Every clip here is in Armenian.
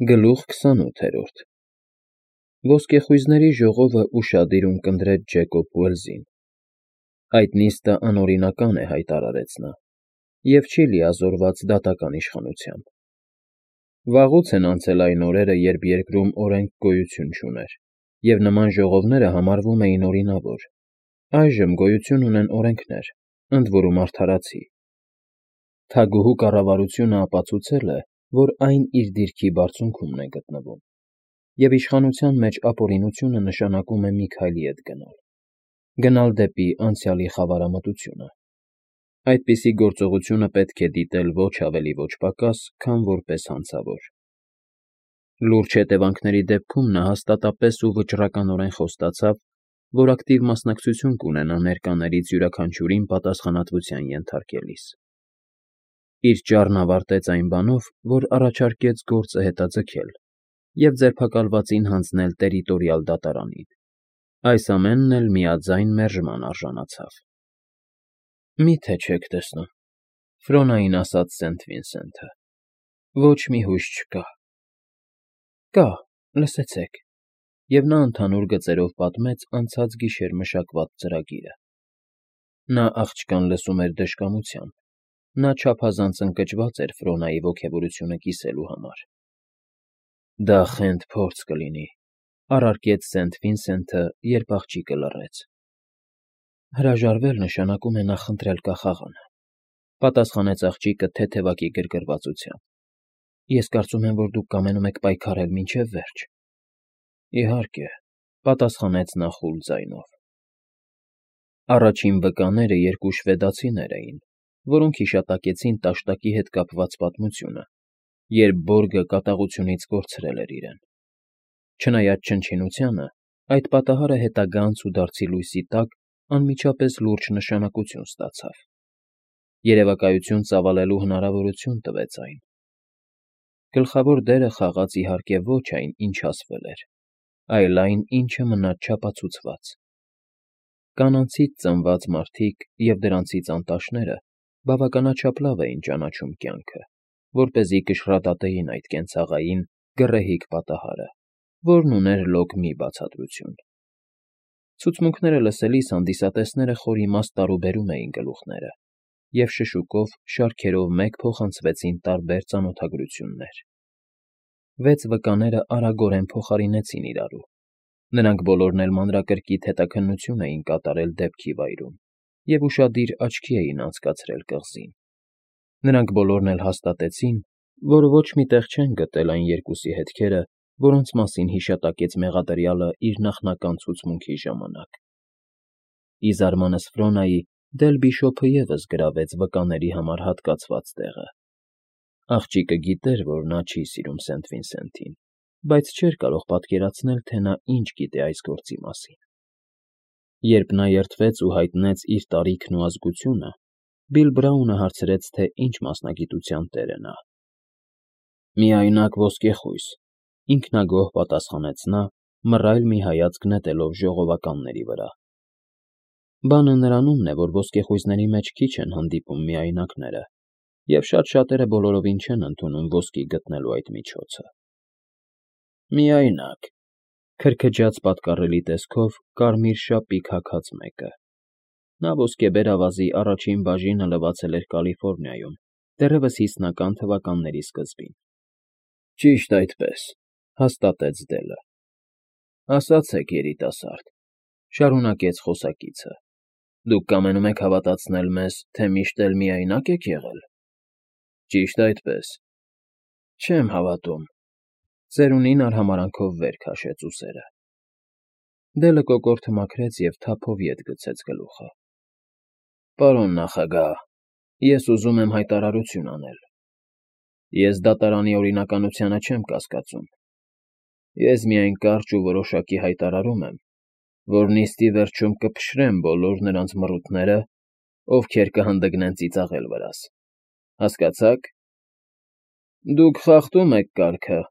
Գլուխ 28 Ոսկեխույզների ժողովը ուշադիր ունկնդրեց Ջեկոբ Ուելսին. այդ նիստը անօրինական է, հայտարարեց նա, և չի լիազորված դատական իշխանությամբ. վաղուց են անցել այն օրերը, երբ երկրում օրենք գոյություն չուներ, և նման ժողովները համարվում էին օրինավոր. այժմ գոյություն ունեն օրենքներ, ընդ որում արդարացի. թագուհու կառավարությունը ապացուցել է, որ այն իր դիրքի բարձունքումն է գտնվում, և իշխանության մեջ ապօրինությունը նշանակում է մի քայլ ետ գնալ դեպի անցյալի խավարամտությունը. այդպիսի գործողությունը պետք է դիտել ոչ ավելի ոչ պակաս, քան որպես հանցավոր. լուրջ հետևանքների դեպքում նա հաստատապես ու վճռականորեն խոստացավ, որ ակտիվ մասնակցություն կունենա ներկաներից յուրաքանչյուրին պատասխանատվության ենթարկելիս. իր ճառն ավարտեց այն բանով, որ առաջարկեց գործը հետաձգել և ձերբակալվածին հանձնել տերիտորիալ դատարանին. այս ամենն էլ միաձայն մերժման արժանացավ։ Մի՞թե չեք տեսնում,֊ Ֆրոնային ասաց Սենթ Վինսենթը,֊ ոչ մի հույս չկա։ Կա, լսեցեք, և նա ընդհանուր գծերով պատմեց անցած գիշեր մշակված ծրագիրը։ Նա աղջկան լսում էր դժկամությամբ, նա չափազանց ընկճված էր Ֆրոնայի ոգևորությունը կիսելու համար։ Դա խենթ փորձ կլինի,֊ առարկեց Սենթ Վինսենթը, երբ աղջիկը լռեց։ Հրաժարվել նշանակում է նախընտրել կախաղանը,֊ պատասխանեց աղջիկը թեթևակի գրգռվածությամբ։ Ես կարծում եմ, որ դուք կամենում եք պայքարել մինչև վերջ։ Իհարկե,֊ պատասխանեց նա խուլ ձայնով։ Առաջին վկաները երկու շվեդացիներ էին, որոնք հիշատակեցին տաշտակի հետ կապված պատմությունը, երբ Բորգը կատաղությունից կորցրել էր իրեն։ Չնայած չնչինությանը, այդ պատահարը հետագա անցուդարձի լույսի տակ անմիջապես լուրջ նշանակություն ստացավ. երևակայություն ծավալելու հնարավորություն տվեց այն։ Գլխավոր դերը խաղաց իհարկե ոչ այն, ինչ ասվել էր, այլ այն, ինչը մնաց չապացուցված։ Կանանցից ծնված մարդիկ և դրանցից անտաշները բավականաչափ լավ էին ճանաչում կյանքը, որպեսզի կշռադատեին այդ կենցաղային, գռեհիկ պատահարը, որն ուներ լոկ մի բացատրություն։ Ցուցմունքները լսելիս հանդիսատեսները խոր իմաստ տարուբերում էին գլուխները, և շշուկով, շարքերով մեկ փոխանցվեցին տարբեր ծանոթագրություններ։ Վեց վկաները արագորեն փոխարինեցին իրարու։ Նրանք բոլորն էլ մանրակրկիտ հետաքննություն էին կատարել դեպքի վայրում և ուշադիր աչքի էին անցկացրել կղզին։ Նրանք բոլորն էլ հաստատեցին, որ ոչ մի տեղ չեն գտել այն երկուսի հետքերը, որոնց մասին հիշատակեց մեղադրյալը իր նախնական ցուցմունքի ժամանակ։ Ի զարմանս Ֆրոնայի, Դել Բիշոփը ևս գրավեց վկաների համար հատկացված տեղը։ Աղջիկը գիտեր, որ նա չի սիրում Սենթ Վինսենթին, բայց չէր կարող պատկերացնել, թե նա ինչ գիտի այս գործի մասին։ Երբ նա երդվեց ու հայտնեց իր տարիքն ու ազգությունը, Բիլ Բրաունը հարցրեց, թե ինչ մասնագիտության տեր է նա։ Միայնակ ոսկեխույս,֊ ինքնագոհ պատասխանեց նա, մռայլ մի հայացք նետելով ժողովականների վրա։ Բանը նրանումն է, որ ոսկեխույզների մեջ քիչ են հանդիպում միայնակները, և շատ-շատերը բոլորովին չեն ընդունում ոսկի գտնելու այդ միջոցը։ Միայնակ,֊ քրքջաց պատկառելի տեսքով կարմիր շապիկ հագած մեկը։ Նա ոսկեբեր ավազի առաջին բաժինը լվացել էր Կալիֆոռնիայում, դեռևս 50-ական թվականների սկզբին։ Ճիշտ այդպես,֊ հաստատեց Դելը։ Ասացեք, երիտասարդ,֊ շարունակեց խոսակիցը, դուք կամենում եք հավատացնել մեզ, թե միշտ էլ միայնակ եք եղել։ Ճիշտ այդպես։ Չեմ հավատում,֊ ծերունին արհամարհանքով վեր քաշեց ուսերը։ Դելը կոկորդը մաքրեց և թափով ետ գցեց գլուխը։ Պարոն նախագահ, ես ուզում եմ հայտարարություն անել։ Ես դատարանի օրինականությանը չեմ կասկածում։ Ես միայն կարճ ու որոշակի հայտարարում եմ, որ նիստի վերջում կփշրեմ բոլոր նրանց մռութները, ովքեր կհանդգնեն ծիծաղել վրաս։ Հասկացա՞ք։ Դուք խախտում եք կարգը,֊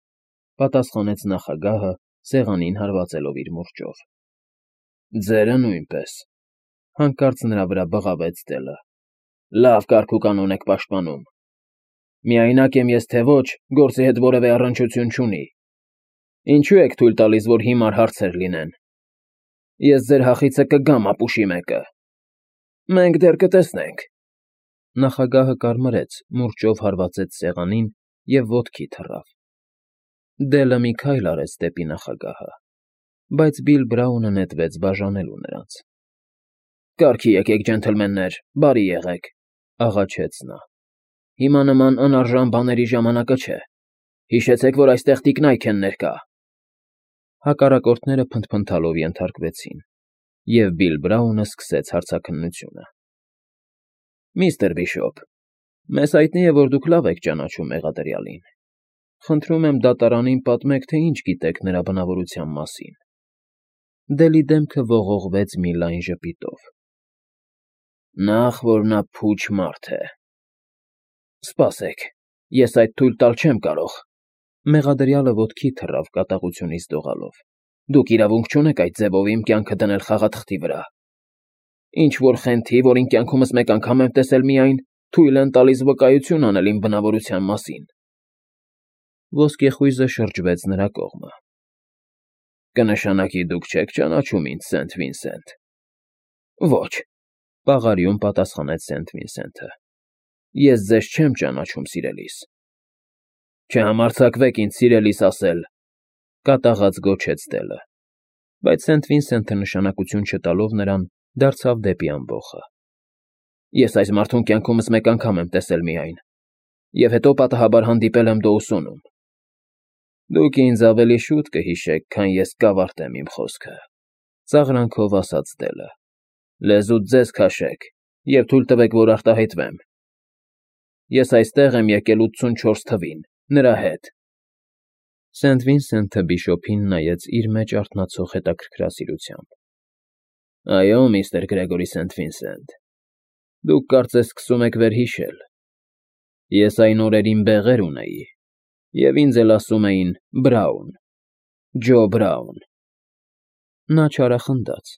պատասխանեց նախագահը, սեղանին հարվածելով իր մուրճով։ Ձերը նույնպես,֊ հանկարծ նրա վրա բղավեց Դելը։ Լավ կարգ ու կանոն եք պաշտպանում։ Միայնակ եմ ես թե ոչ, գործի հետ որևէ առնչություն չունի։ Ինչու եք թույլ տալիս, որ հիմար հարցեր լինեն։ Ես ձեր հախիցը կգամ ապուշի մեկը։ Մենք դեռ կտեսնենք։ Նախագահը կարմրեց, մուրճով հարվածեց սեղանին և ոտքի թռավ։ Դելը մի քայլ արեց դեպի նախագահը, բայց Բիլ Բրաունը նետվեց բաժանելու նրանց։ Կարգի եկեք, ջենթլմեններ, բարի եղեք, աղաչեց նա։ Հիմա նման անարժան բաների ժամանակը չէ։ Հիշեցեք, որ այստեղ տիկնայք են ներկա։ Հակառակորդները փնթփնթալով ենթարկվեցին, և Բիլ Բրաունը սկսեց հարցաքննությունը։ Միստր Բիշոպ, մեզ հայտնի է, որ դուք լավ եք ճանաչում մեղադրյալին։ Խնդրում եմ դատարանին պատմեք, թե ինչ գիտեք նրա բնավորության մասին։ Դելի դեմքը ողողվեց մի լայն ժպիտով։ Նախ, որ նա փուչ մարդ է։ Սպասեք, ես այդ թույլ տալ չեմ կարող։ Մեղադրյալը ոտքի թռավ կատաղությունից դողալով։ Դուք իրավունք չունեք այդ ձևով իմ կյանքը դնել խաղաթղթի վրա։ Ինչ որ խենթի, որին կյանքումս մեկ անգամ եմ տեսել միայն, թույլ են տալիս վկայություն անել իմ բնավորության մասին։ Ոսկեխույզը շրջվեց նրա կողմը։ Կնշանակի դուք չեք ճանաչում ինձ, Սենթ Վինսենտ։ Ոչ, պաղարիում պատասխանեց Սենթ Վինսենթը։ Ես ձեզ չեմ ճանաչում, սիրելիս։ Չհամարձակվեք ինձ սիրելիս ասել, կատաղած գոչեց Դելը, բայց Սենթ Վինսենթը նշանակություն չտալով նրան դարձավ դեպի ամբոխը։ Ես այս մարդուն կյանքումս մեկ անգամ եմ տեսել միայն, և հետո պատահաբար հանդիպել եմ Դոուսոնում։ Դուք ինձ ավելի շուտ կհիշեք, քան ես կավարտեմ իմ խոսքը, ծաղրանքով ասաց Դելը։ Լեզուդ ձեզ քաշեք և թույլ տվեք, որ արտահայտվեմ։ Ես այստեղ եմ եկել 84 թվին, նրա հետ։ Սենթ Վինսենթը Բիշոպին նայեց իր մեջ արթնացող հետաքրքրասիրությամբ։ Այո, միստր Գրեգորի Սենթ Վինսենտ, դուք կարծես սկսում եք վերհիշել։ Ես այն օրերին բեղեր ունեի, և ինձ էլ ասում էին Բրաուն, Ջո Բրաուն։ Նա չարախնդաց,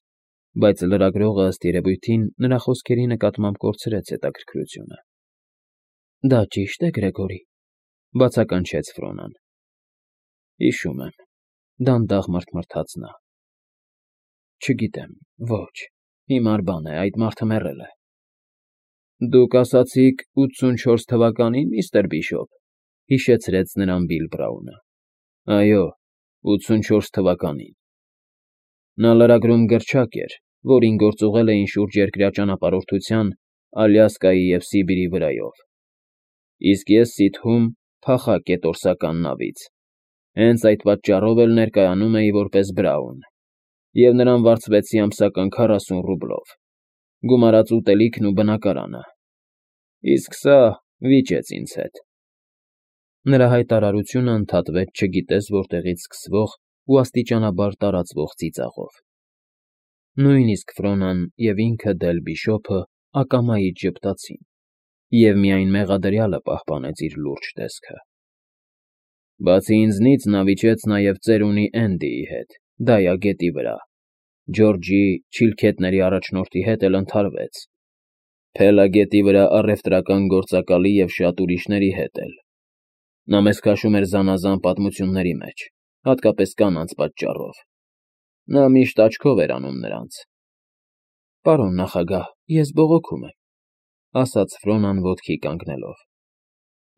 բայց լրագրողը ըստ երևույթին նրա խոսքերի նկատմամբ կորցրեց հետաքրքրությունը։ Դա ճիշտ է, Գրեգորի, բացականչեց Ֆրոնան։ Հիշում եմ, դանդաղ մռթմռթաց նա։ Չգիտեմ, ոչ, հիմար բան է, այդ մարդը մեռել է։ Դուք ասացիք 84 թվականին, միստր Բիշոպ, հիշեցրեց նրան Բիլ Բրաունը։ Այո, 84 թվականին։ Նա լրագրում գրչակ էր, որին գործուղել էին շուրջերկրյա ճանապարհորդության Ալյասկայի և Սիբիրի վրայով։ Իսկ ես Սիդհում փախա կետորսական նավից։ Հենց այդ պատճառով էլ ներկայանում էի որպես Բրաուն, և նրան վարձվեցի ամսական 40 ռուբլով, գումարած ուտելիքն ու բնակարանը։ Իսկ սա վիճեց ինձ հետ։ Նրա հայտարարությունը ընդհատվեց չգիտես որտեղից սկսվող ու աստիճանաբար տարածվող ծիծաղով։ Նույնիսկ Ֆրոնան և ինքը Դել Բիշոպը ակամայից ժպտացին, և միայն մեղադրյալը պահպանեց իր լուրջ տեսքը։ Բացի ինձնից նա վիճեց նաև ծերունի Էնդիի հետ, Դայա գետի վրա, Ջորջի չիլքետների առաջնորդի հետ էլ ընդհարվեց, Փելա գետի վրա առևտրական գործակալի և շատ ուրիշների հետ էլ։ Նա մեզ քաշում էր զանազան պատմությունների մեջ, հատկապես կանանց պատճառով։ Նա միշտ աչքով էր անում նրանց։ Պարոն նախագահ, ես բողոքում եմ, ասաց Ֆրոնան ոտքի կանգնելով։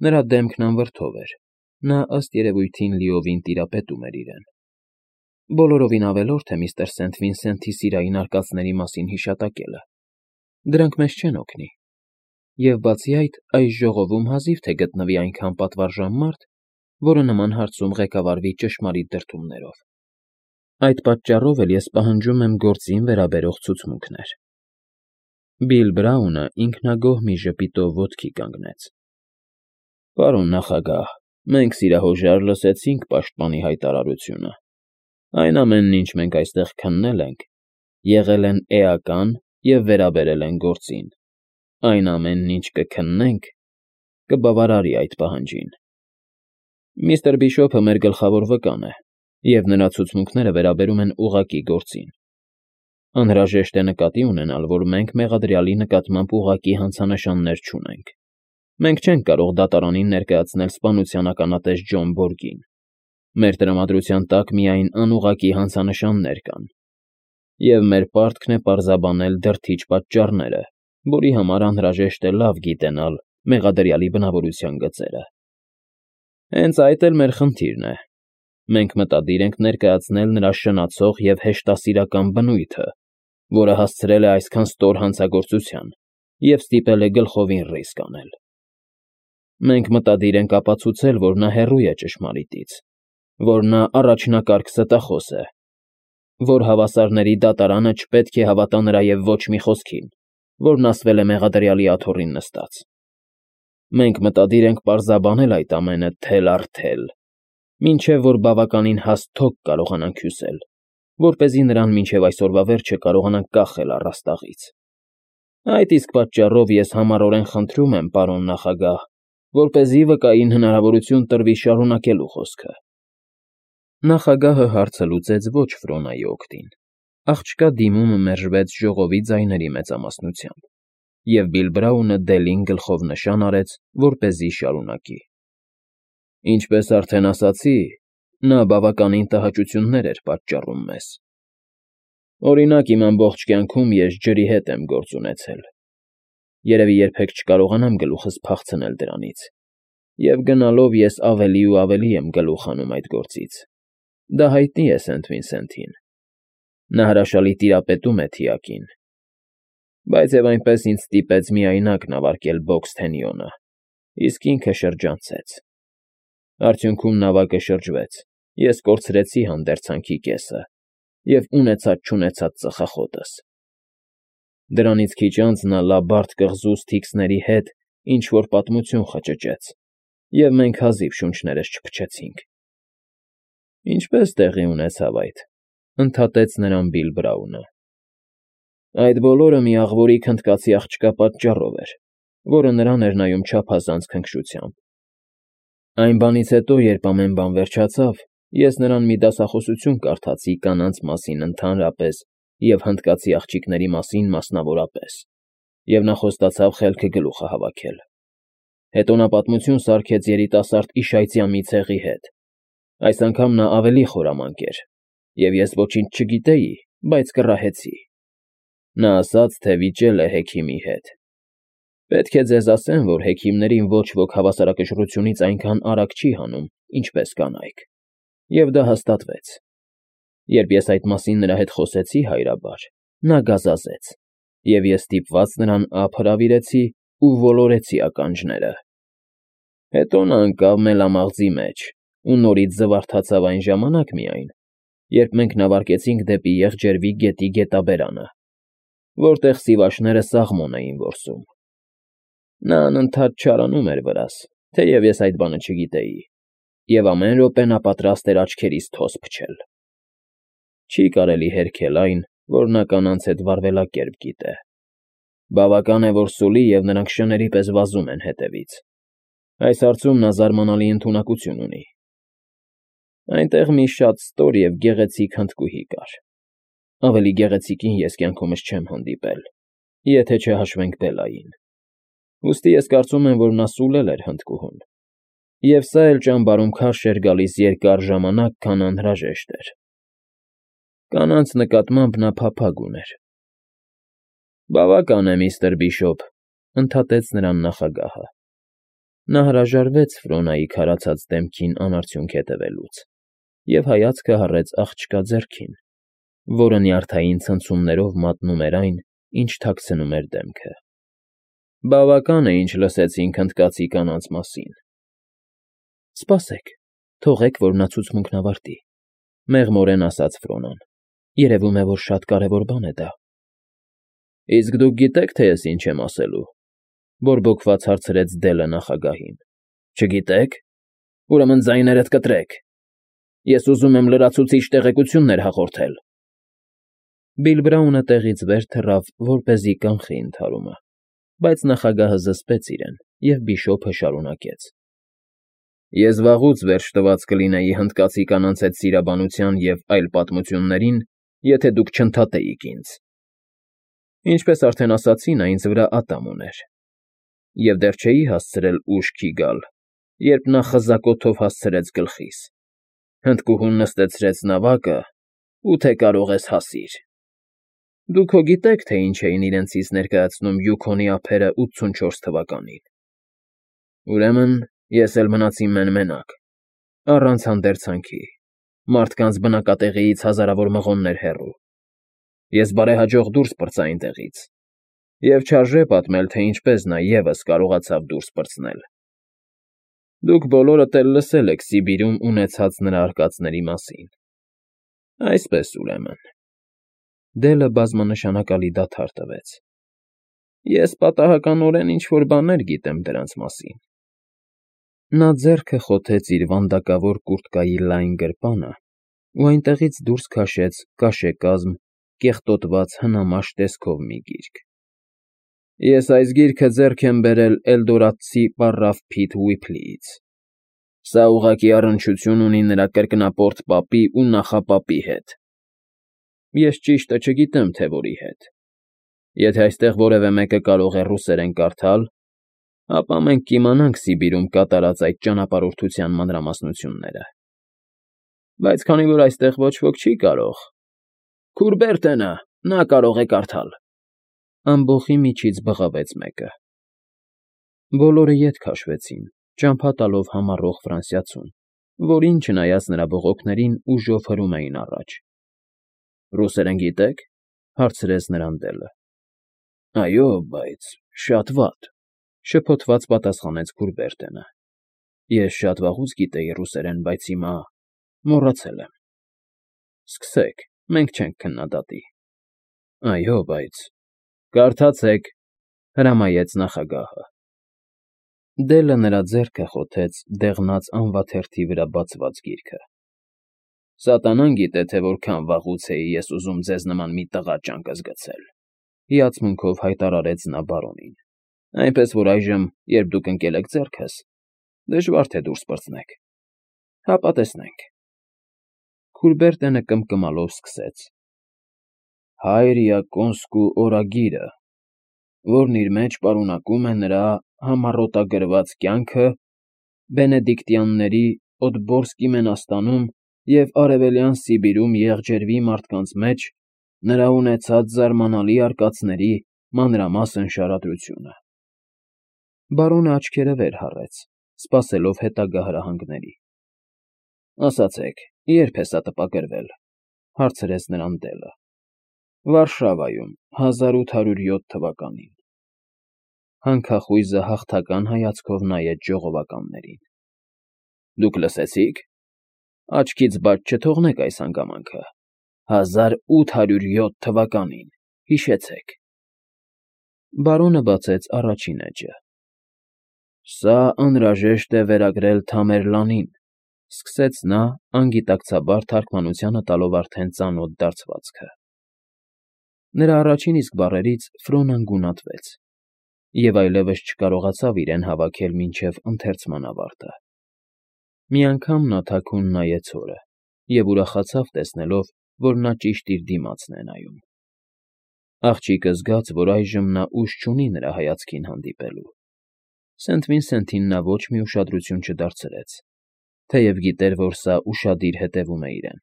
Նրա դեմքն անվրդով էր, նա ըստ երևույթին լիովին տիրապետում էր իրեն։ Բոլորովին ավելորդ է միստր Սենթ Վինսենթի սիրային արկածների մասին հիշատակելը։ Դրանք մեզ չեն օգնի։ Եվ բացի այդ, այս ժողովում հազիվ թե գտնվի այնքան պատվարժան մարդ, որը նման հարցում ղեկավարվի ճշմարիտ դրդումներով։ Այդ պատճառով էլ ես պահանջում եմ գործին վերաբերող ցուցմունքներ։ Բիլ Բրաունը ինքնագոհ մի ժպիտով ոտքի կանգնեց։ Պարոն նախագահ, մենք սիրահոժար լսեցինք պաշտպանի հայտարարությունը։ Այն ամենն, ինչ մենք այստեղ քննել ենք, եղել են էական և վերաբերել են գործին։ Այն ամենն, ինչ կքննենք, կբավարարի այդ պահանջին։ Միստր Բիշոպը մեր գլխավոր վկան է, և նրա ցուցմունքները վերաբերում են ուղղակի գործին։ Անհրաժեշտ է նկատի ունենալ, որ մենք մեղադրյալի նկատմամբ ուղղակի հանցանշաններ չունենք։ Մենք չենք կարող դատարանին ներկայացնել սպանության ականատես Ջոն Բորգին։ Մեր տրամադրության տակ միայն անուղղակի հանցանշաններ կան։ Եվ մեր պարտքն է պարզաբանել դրդիչ պատճառները, որի համար անհրաժեշտ է լավ գիտենալ մեղադրյալի բնավորության գծերը։ Հենց այդ էլ մեր խնդիրն է։ Մենք մտադիր ենք ներկայացնել նրա շնացող և հեշտասիրական բնույթը, որը հասցրել է այսքան ստոր հանցագործության և ստիպել է գլխովին ռիսկ անել։ Մենք մտադիր ենք ապացուցել, որ նա հեռու է ճշմարիտից, որ նա առաջնակարգ ստախոս է, որ հավասարների դատարանը չպետք է հավատա նրա և ոչ մի խոսքին, որն ասվել է մեղադրյալի աթոռին նստած։ Մենք մտադիր ենք պարզաբանել այդ ամենը թել առ թել, մինչև որ բավականին հաստ թոք կարողանանք հյուսել, որպեսզի նրան մինչև այսօրվա վերջը կարողանանք կախել առաստաղից։ Այդ իսկ պատճառով ես համառորեն խնդրում եմ, պարոն նախագահ, որպեսզի վկային հնարավորություն տրվի շարունակելու խոսքը։ Նախագահը հարցը լուծեց ոչ Ֆրոնայի օգտին։ Աղջկա դիմումը մերժվեց ժողովի ձայների մեծամասնությամբ, և Բիլ Բրաունը Դելին գլխով նշան արեց, որպեսզի շարունակի։ Ինչպես արդեն ասացի, նա բավականին տհաճություններ էր պատճառում մեզ։ Օրինակ, իմ ամբողջ կյանքում ես ջրի հետ եմ գործ ունեցել։ Երևի երբեք չկարողանամ գլուխս փախցնել դրանից, և գնալով ես ավելի ու ավելի եմ գլուխ հանում այդ գործից։ Դա հայտնի է Սենթ Վինսենթին։ Նա հրաշալի տիրապետում է թիակին։ Բայց և այնպես ինձ ստիպեց միայնակ նավարկել Բոքսթենյոնը, իսկ ինքը շրջանցեց։ Արդյունքում նավակը շրջվեց, ես կորցրեցի հանդերձանքի կեսը և ունեցած-չունեցած ծխախոտս։ Դրանից քիչ անց նա լաբարդ կղզու Սթիքսների հետ ինչ֊որ պատմություն խճճեց, և մենք հազիվ շունչներս չփչեցինք։ Ինչպե՞ս տեղի ունեցավ այդ,֊ ընդհատեց նրան Բիլ Բրաունը։ Այդ բոլորը մի աղվորի քնդկացի աղջկա պատճառով էր, որը նրան էր նայում չափազանց քնքշությամբ։ Այն բանից հետո, երբ ամեն բան վերջացավ, ես նրան մի դասախոսություն կարդացի կանանց մասին ընդհանրապես և հնդկացի աղջիկների մասին մասնավորապես, և նա խոստացավ խելքը գլուխը հավաքել։ Հետո նա պատմություն սարքեց երիտասարդ իշայծյա մի ցեղի հետ։ Այս անգամ նա ավելի խորամանկ էր, և ես ոչինչ չգիտեի, բայց կռահեցի։ Նա ասաց, թե վիճել է հեքիմի հետ։ Պետք է ձեզ ասեմ, որ հեքիմներին ոչ ոք հավասարակշռությունից այնքան արագ չի հանում, ինչպես կանայք, և դա հաստատվեց։ Երբ ես այդ մասին նրա հետ խոսեցի հայրաբար, նա գազազեց, և ես ստիպված նրան ափ հրավիրեցի ու ոլորեցի ականջները։ Հետո նա ընկավ մելամաղձի մեջ ու նորից զվարթացավ այն ժամանակ միայն, երբ մենք նավարկեցինք դեպի Եղջերվի գետի գետաբերանը, որտեղ սիվաշները սաղմոն էին որսում։ Նա անընդհատ չարանում էր վրաս, թեև ես այդ բանը չգիտեի, և ամեն րոպե նա պատրաստ էր աչքերիս թոս փչել։ Չի կարելի հերքել այն, որ նա կանանց հետ վարվելակերպ գիտե։ Բավական է, որ սուլի, և նրանք շների պես վազում են հետևից։ Այս հարցում նա զարմանալի ընդունակություն ունի։ Այնտեղ մի շատ ստոր և գեղեցիկ հնդկուհի կար։ Ավելի գեղեցիկին ես կյանքումս չեմ հանդիպել, եթե չհաշվենք Բելային։ Ուստի ես կարծում եմ, որ նա սուլել էր հնդկուհուն, և սա էլ ճամբարում քարշ էր գալիս երկար ժամանակ, քան անհրաժեշտ էր։ Կանանց նկատմամբ նա փափագ ուներ։ Բավական է, միստր Բիշոպ,֊ ընդհատեց նրան նախագահը։ Նա հրաժարվեց Ֆրոնայի քարացած դեմքին անարդյունք հետևելուց և հայացքը հառեց աղջկա ձեռքին, որը նյարդային ցնցումներով մատնում էր այն, ինչ թաքցնում էր դեմքը։ Բավական է, ինչ լսեցինք հնդկացի կանանց մասին։ Սպասեք, թողեք, որ նա ցուցմունքն ավարտի,֊ մեղմորեն ասաց Ֆրոնան։ Երևում է, որ շատ կարևոր բան է դա։ Իսկ դուք գիտեք, թե ես ինչ եմ ասելու,֊ բորբոքված հարցրեց Դելը նախագահին։ Չգիտեք։ Ուրեմն ձայներդ կտրեք։ Ես ուզում եմ լրացուցիչ տեղեկություններ հաղորդել։ Բիլ Բրաունը տեղից վեր թռավ, որպեսզի կանխի ընդհարումը, բայց նախագահը զսպեց իրեն, և Բիշոպը շարունակեց. Ես վաղուց վերջ տված կլինեի հնդկացի կանանց հետ սիրաբանության և այլ պատմություններին, եթե դուք չընդհատեիք ինձ։ Ինչպես արդեն ասացի, նա ինձ վրա ատամ ուներ։ և դեռ չէի հասցրել ուշքի գալ, երբ նա խզակոթով հասցրեց գլխիս, հնդկուհուն նստեցրեց նավակը ու թե կարող ես հասիր։ Դուք հո գիտեք, թե ինչ էին իրենցից ներկայացնում Յուքոնի ափերը 84 թվականին։ Ուրեմն ես էլ մնացի մեն֊մենակ, առանց հանդերձանքի, մարդկանց բնակատեղիից հազարավոր մղոններ հեռու։ Ես բարեհաջող դուրս պրծա այնտեղից, և չարժե պատմել, թե ինչպես նա ևս կարողացավ դուրս պրծնել։ Դուք բոլորդ էլ լսել եք Սիբիրում ունեցած նրա արկածների մասին։ Այսպես, ուրեմն… Դելը բազմանշանակալի դադար տվեց։ Ես պատահականորեն ինչ֊որ բաներ գիտեմ դրանց մասին։ Նա ձեռքը խոթեց իր վանդակավոր կուրտկայի լայն գրպանը ու այնտեղից դուրս քաշեց կաշեկազմ, կեղտոտված հնամաշ տեսքով մի գիրք։ Ես այս գիրքը ձեռք եմ բերել էլդորադցի պառավ Փիթ Ուիփլիից։ Սա ուղղակի առնչություն ունի նրա կրկնապորտ պապի ու նախապապի հետ։ Ես ճիշտը չգիտեմ, թե որի հետ։ Եթե այստեղ որևէ մեկը կարող է ռուսերեն կարդալ, ապա մենք կիմանանք Սիբիրում կատարած այդ ճանապարհորդության մանրամասնությունները։ Բայց քանի որ այստեղ ոչ ոք չի կարող… Քուրբերտենը, նա կարող է կարդալ… Ամբոխի միջից բղավեց մեկը։ Բոլորը ետ քաշվեցին, ճամփա տալով համառող ֆրանսիացուն, որին, չնայած նրա բողոքներին, ուժով հրում էին առաջ։ Ռուսերեն գիտե՞ք,֊ հարցրեց նրան Դելը։ Այո, բայց շատ վատ,֊ շփոթված պատասխանեց Քուրբերտենը։ Ես շատ վաղուց գիտեի ռուսերեն, բայց հիմա մոռացել եմ։ Սկսեք, մենք չենք քննադատի։ Այո, բայց… Կարդացեք,֊ հրամայեց նախագահը։ Դելը նրա ձեռքը խոթեց դեղնած անվաթերթի վրա բացված գիրքը։ Սատանան գիտե, թե որքան վաղուց էի ես ուզում ձեզ նման մի տղա ճանկզգցել,֊ հիացմունքով հայտարարեց նա բարոնին։ Այնպես որ այժմ, երբ դուք ընկել եք ձեռքս, դժվար թե դուրս պրծնեք։ Հապա տեսնենք։ Քուրբերտենը կմկմալով սկսեց. Հայր Յակոնսկու օրագիրը, որն իր մեջ պարունակում է նրա համառոտագրված կյանքը բենեդիկտյանների Օդբորսկի մենաստանում և Արևելյան Սիբիրում եղջերվի մարդկանց մեջ նրա ունեցած զարմանալի արկածների մանրամասն շարադրությունը։ Բարոնը աչքերը վեր հառեց, սպասելով հետագա հրահանգների։ Ասացեք, ե՞րբ է սա տպագրվել,֊ հարցրեց նրան Դելը։ Վարշավայում, 1807 թվականին։ Հանքախույզը հաղթական հայացքով նայեց ժողովականներին։ Դուք լսեցի՞ք։ Աչքից բաց չթողնեք այս հանգամանքը, 1807 թվականին, հիշեցեք։ Բարոնը բացեց առաջին էջը։ Սա անհրաժեշտ է վերագրել Թամերլանին,֊ սկսեց նա, անգիտակցաբար թարգմանությանը տալով արդեն ծանոթ դարձվածքը։ Նրա առաջին իսկ բառերից Ֆրոնան գունատվեց և այլևս չկարողացավ իրեն հավաքել մինչև ընթերցման ավարտը։ Մի անգամ նա թաքուն նայեց հորը և ուրախացավ տեսնելով, որ նա ճիշտ իր դիմացն է նայում։ Աղջիկը զգաց, որ այժմ նա ուժ չունի նրա հայացքին հանդիպելու։ Սենթ Վինսենթին նա ոչ մի ուշադրություն չդարձրեց, թեև գիտեր, որ սա ուշադիր հետևում է իրեն։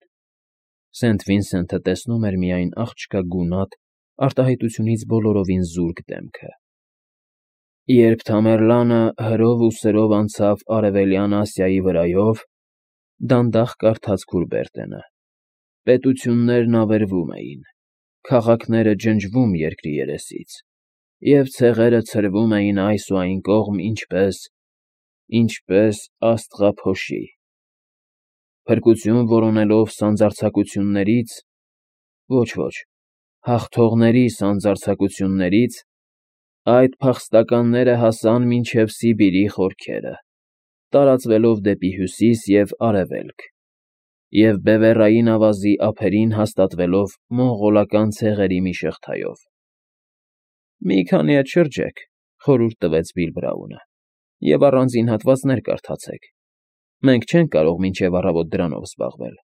Սենթ Վինսենթը տեսնում էր միայն աղջկա գունատ, արտահայտությունից բոլորովին զուրկ դեմքը։ Երբ Թամերլանը հրով ու սրով անցավ Արևելյան Ասիայի վրայով, դանդաղ կարդաց Քուրբերտենը, պետություններն ավերվում էին, քաղաքները ջնջվում երկրի երեսից, և ցեղերը ցրվում էին այս ու այն կողմ, ինչպես աստղափոշի։ Փրկություն որոնելով սանձարձակություններից, ոչ, հաղթողների սանձարձակություններից, այդ փախստականները հասան մինչև Սիբիրի խորքերը, տարածվելով դեպի հյուսիս և արևելք, և Բևեռային ավազի ափերին հաստատվելով մոնղոլական ցեղերի մի շղթայով։ Մի քանի ետ շրջեք,֊ խորհուրդ տվեց Բիլ Բրաունը,֊ և առանձին հատվածներ կարդացեք։ Մենք չենք կարող մինչև առավոտ դրանով զբաղվել։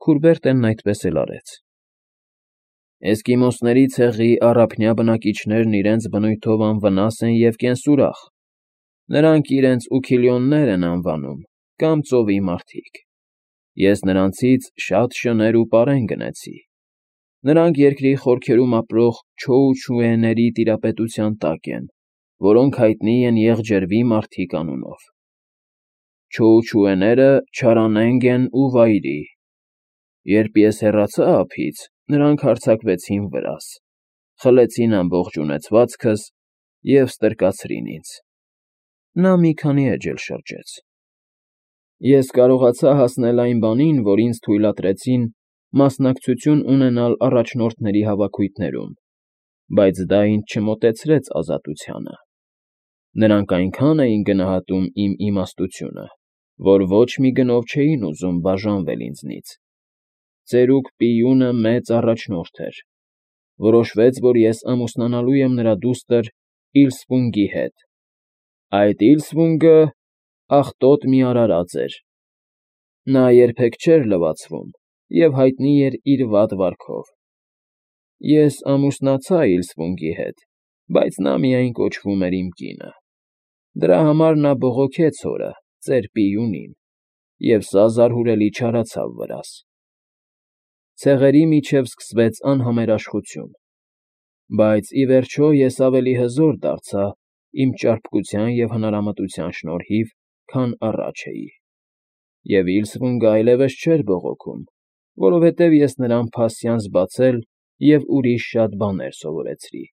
Քուրբերտենն այդպես էլ արեց։ Էսկիմոսների ցեղի առափնյա բնակիչներն իրենց բնույթով անվնաս են և կենսուրախ, նրանք իրենց ուքիլյոններ են անվանում կամ ծովի մարդիկ, ես նրանցից շատ շներ ու պարեն գնեցի, նրանք երկրի խորքերում ապրող չոուչուեների տիրապետության տակ են, որոնք հայտնի են եղջերվի մարդիկ անունով, չոուչուեները չարանենգ են ու վայրի, երբ ես հեռացա ափից, նրանք հարձակվեցին վրաս, խլեցին ամբողջ ունեցվածքս և ստրկացրին ինձ, նա մի քանի էջ էլ շրջեց, ես կարողացա հասնել այն բանին, որ ինձ թույլատրեցին մասնակցություն ունենալ առաջնորդների հավաքույթներում, բայց դա ինձ չմոտեցրեց ազատությանը, նրանք այնքան էին գնահատում իմ իմաստությունը, որ ոչ մի գնով չէին ուզում բաժանվել ինձնից, ծերուկ Պիյունը մեծ առաջնորդ էր, որոշվեց, որ ես ամուսնանալու եմ նրա դուստր Իլսվունգի հետ, այդ Իլսվունգը աղտոտ մի արարած էր, նա երբեք չէր լվացվում և հայտնի էր իր վատ վարքով, ես ամուսնացա Իլսվունգի հետ, բայց նա միայն կոչվում էր իմ կինը, դրա համար նա բողոքեց հորը, ծեր Պիյունին, և սա զարհուրելի չարացավ վրաս, ցեղերի միջև սկսվեց անհամերաշխություն, բայց ի վերջո ես ավելի հզոր դարձա իմ ճարպկության և հնարամտության շնորհիվ, քան առաջ էի, և Իլսվունգը այլևս չէր բողոքում, որովհետև ես նրան փասյանս բացել և ուրիշ շատ բաներ սովորեցրի։